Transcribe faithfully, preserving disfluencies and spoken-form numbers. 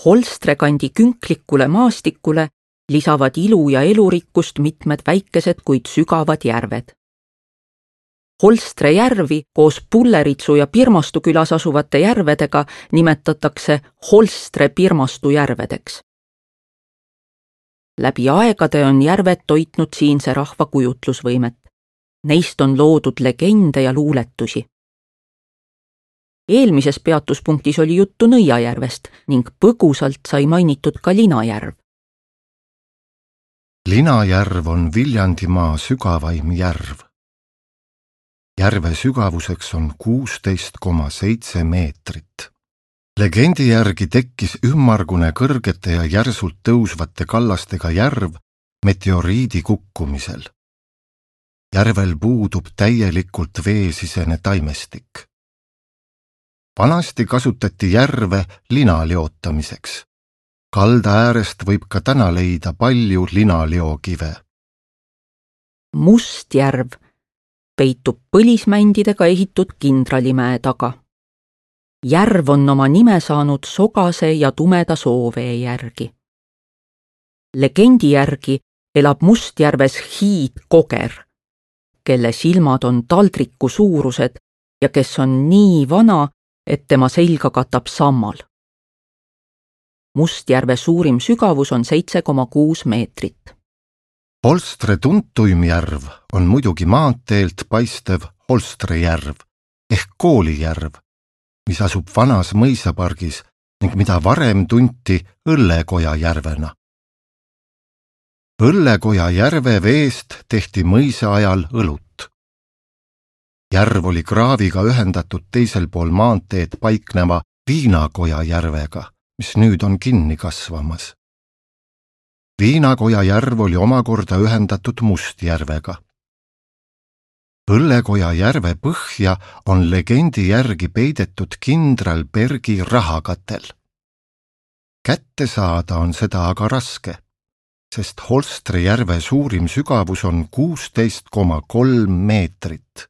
Holstre kandi künklikule maastikule lisavad ilu ja elurikkust mitmed väikesed, kuid sügavad järved. Holstre järvi koos Pulleritsu ja Pirmastu külas asuvate järvedega nimetatakse Holstre Pirmastu järvedeks. Läbi aegade on järved toitnud siinse rahva kujutlusvõimet. Neist on loodud legende ja luuletusi. Eelmises peatuspunktis oli juttu Nõiajärvest ning põgusalt sai mainitud ka Linajärv. Linajärv on Viljandimaa sügavaim järv. Järve sügavuseks on kuusteist koma seitse meetrit. Legendi järgi tekkis ümmargune kõrgete ja järsult tõusvate kallastega järv meteoriidi kukkumisel. Järvel puudub täielikult veesisene taimestik. Vanasti kasutati järve linaleotamiseks. Kalda äärest võib ka täna leida palju linaleokive. Mustjärv peitub põlismändidega ehitud Kindralimäe taga. Järv on oma nime saanud sogase ja tumeda soovee järgi. Legendi järgi elab Mustjärves hiidkoger, kelle silmad on taldriku suurused ja kes on nii vana, et tema selga katab sammal. Mustjärve suurim sügavus on seitse koma kuus meetrit. Holstre tuntuim järv on muidugi maanteelt paistev Holstre järv ehk Koolijärv, mis asub vanas mõisapargis ning mida varem tunti Õllekoja järvena. Õllekoja järve veest tehti mõisa ajal õlut. Järv oli kraaviga ühendatud teisel pool maanteed paikneva Viinakoja järvega, mis nüüd on kinni kasvamas. Viinakoja järv oli omakorda ühendatud Mustjärvega. Õllekoja järve põhja on legendi järgi peidetud Kindralbergi rahakatel. Kätte saada on seda aga raske, sest Holstre järve suurim sügavus on kuusteist koma kolm meetrit.